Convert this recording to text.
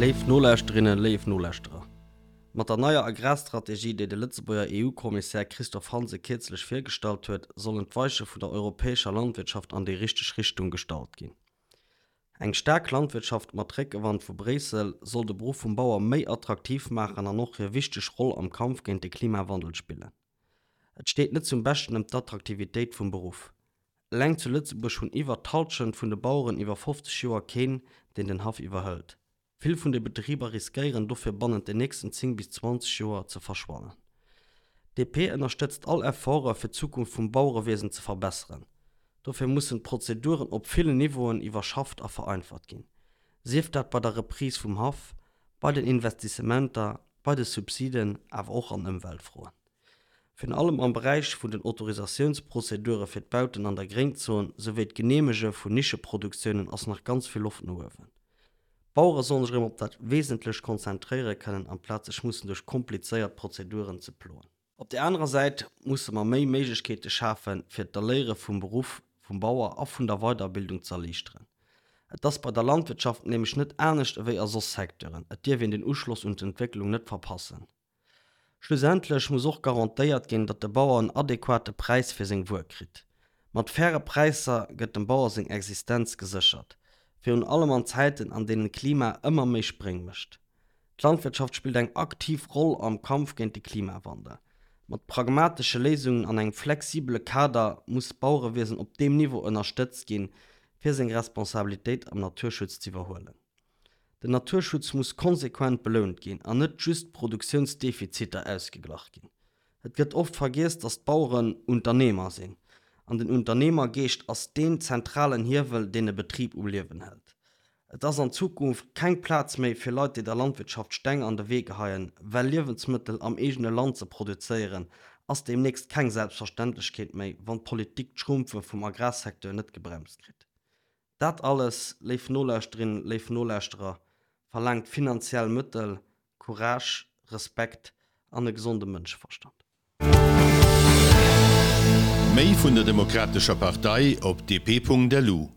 Léif Nolauschterinnen, léif Nolauschterer, mat der neier Agrarstrategie, déi de Lëtzebuerger EU-Kommissär Christophe Hansen kierzlech virgestallt huet, sollen d'Weiche vun der europäescher Landwirtschaft an déi richteg Richtung gestallt ginn. Eng staark Landwirtschaft mat Réckewand vu Bréissel soll de Beruff vum Bauer méi attraktiv maachen an och hir wichteg Roll am Kampf géint de Klimawandel spillen. Et steet net zum Beschten ëm d'Attraktivitéit vum Beruff. Eleng zu Lëtzebuerg hunn iwwer d'Hallschent vun de Baueren iwwer 50 Joer keen, deen den Haff iwwerhëlt. Vill vun de Betriber riskéieren dofir bannent den nächsten 10 bis 20 Joer ze verschwannen. DP ënnerstëtzt all Efforte fir d'Zukunft vum Bauerewiesen ze verbesseren. Dofir mussen d'Prozeduren op villen Niveauen iwwerschafft a vereinfacht ginn, sief dat bei der Reprise vum Haff, bei den Investissementer, bei de Subsiden, awer och an Ëmweltfroen. Virun allem am Beräich vun den Autorisatiounsprozedure fir d'Bauten an der Gréngzon souwéi d'Geneemege vun Nischeproduktiounen ass nach ganz vill Loft no uewen. D'Bauere sollen sech erëm op dat Wesentlecht konzentréiere kënnen, amplaz sech mussen duerch komplizéiert Prozeduren ze ploen. Op där anerer Säit musse mer méi Méiglechkeete schafen, fir d'Erléiere vum Beruff vum Bauer a vun der Weiderbildung ze erliichteren. Et ass bei der Landwirtschaft nämlech net anescht ewéi a soss Secteuren, et dierf een den Uschloss un d'Entwécklung net verpassen. Schlussendlech muss och garantéiert ginn, datt de Bauer en adequate Präis fir seng Wuer kritt. Mat faire Präisser gëtt dem Bauer seng Existenz geséchert, virun allem an Zäiten, an deenen d'Klima ëmmer méi Spréng mécht. D'Landwirtschaft spillt eng aktiv Roll am Kampf géint de Klimawandel. Mat pragmatesche Léisungen an engem flexibele Kader muss d'Bauerewiesen op deem Niveau ënnerstëtzt ginn, fir seng Responsabilitéit am Naturschutz z'iwwerhuelen. Den Naturschutz muss konsequent belount ginn an net just Produktiounsdefiziter ausgeglach ginn. Et gëtt oft vergiess, datt d'Baueren Unternehmer sinn. An den Unternehmergeescht ass deen zentralen Hiewel, deen e Betrib um Liewen hält. Et ass an Zukunft keng Plaz méi fir Leit, déi der Landwirtschaft Steng an de Wee geheien, well Liewensmëttel am eegene Land ze produzéieren, ass deemnächst keng Selbstverständlechkeet méi, wann d'Politik d'Schrumpfe vum Agrarsecteur net gebremst kritt. Dat alles, léif Nolauschterinnen, léif Nolauschterer, verlaangt finanziell Mëttel, Courage, Respekt an e gesonde Mënscheverstand. Méi vun der Demokratescher Partei op dp.lu.